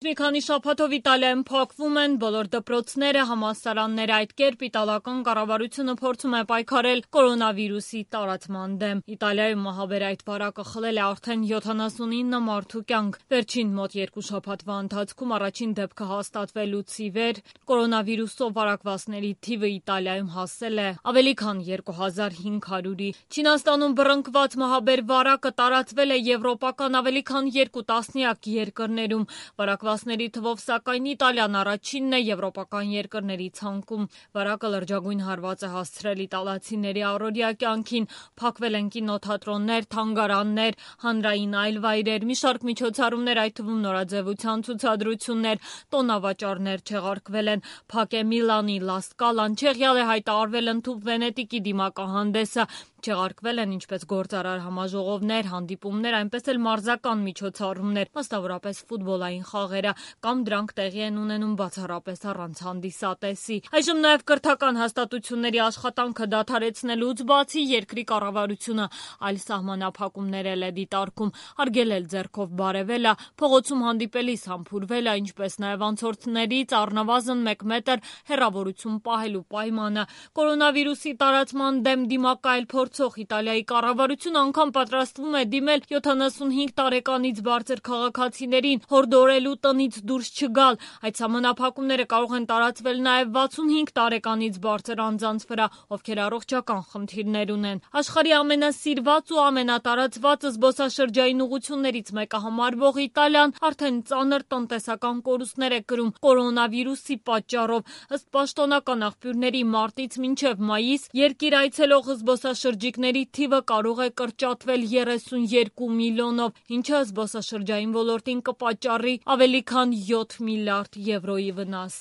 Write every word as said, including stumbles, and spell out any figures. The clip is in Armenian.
Մի քանի շաբաթով Իտալիայում փակվում են բոլոր դպրոցները, համալսարանները, այդ կերպ իտալական կառավարությունը փորձում է պայքարել կորոնավիրուսի տարածման դեմ։ Իտալիայում մահաբեր այդ վարակը խլել է արդեն յոթանասունինը մարդու կյանք։ Վերջին մոտ երկու շաբաթվա ընթացքում առաջին դեպքը հաստատվելուց ի վեր կորոնավիրուսով վարակվածների թիվը Իտալիայում հասել է ավելի քան երկու հազար հինգ հարյուրի։ Չինաստանում բռնկված մահաբեր վարակը տարածվել է եվրոպական ավելի քան երկու տասնյակ երկրներում։ Վարակվածների թվով սակայն Իտալիան առաջինն է եվրոպական երկրների ցանկում։ Վարակը լրջագույն հարված է հասցրել իտալացիների առօրյա կյանքին։ Փակվել են կինոթատրոններ, թանգարաններ, հանրային այլ վայրեր, մի շարք միջոցառումներ, այդ թվում նորաձևության ցուցադրություններ, տոնավաճառներ չեղարկվել են։ Փակ է Միլանի Լա Սկալան, չեղյալ է հայտարարվել ընդհուպ Վենետիկի դիմակահանդեսը։ Չեղարկվել են ինչպես գործարար համաժողովներ, հանդիպումներ, այնպես էլ մարզական միջոցառումներ, մասնավորապես ֆուտբոլային խաղերը, կամ դրանք տեղի են ունենում բացառապես առանց հանդիսատեսի։ Այժմ նաև կրթական հաստատությունների աշխատանքը դադարեցնելուց բացի երկրի կառավարությունը այլ սահմանափակումներ էլ է դիտարկում, արգելել ձեռքով բարևելը, փողոցում հանդիպելիս համբուրվելը, ինչպես նաև անցորդներից առնվազն մեկ մետր հեռավորություն պահելու պայմանը։ Կորոնավիրուսի տարածման դեմ դիմակայել փորձող Իտալիայի կառավարությունը անգամ պատրաստվում է դիմել յոթանասունհինգ տարեկանից բարձր քաղաքացիներին հորդորելու տնից դուրս չգալ։ Այդ սահմանափակումները կարող են տարածվել նաև վաթսունհինգ տարեկանից բարձր անձանց վրա, ովքեր առողջական խնդիրներ ունեն։ Աշխարհի ամենասիրված ու ամենատարածված զբոսաշրջային ուղղություններից մեկը համարվող Իտալիան արդեն ծանր տնտեսական կորուստներ է կրում կորոնավիրուսի պատճառով։ Ըստ պաշտոնական աղբյուրների մարտից մինչև մայիս երկիր այցելող զբոսաշրջիկների թիվը կարող է կրճատվել երեսունյոթ միլիոնով, ինչը զբոսաշրջային ոլորտին կպատճառի ավելի քան յոթ միլիարդ եվրոյի վնաս։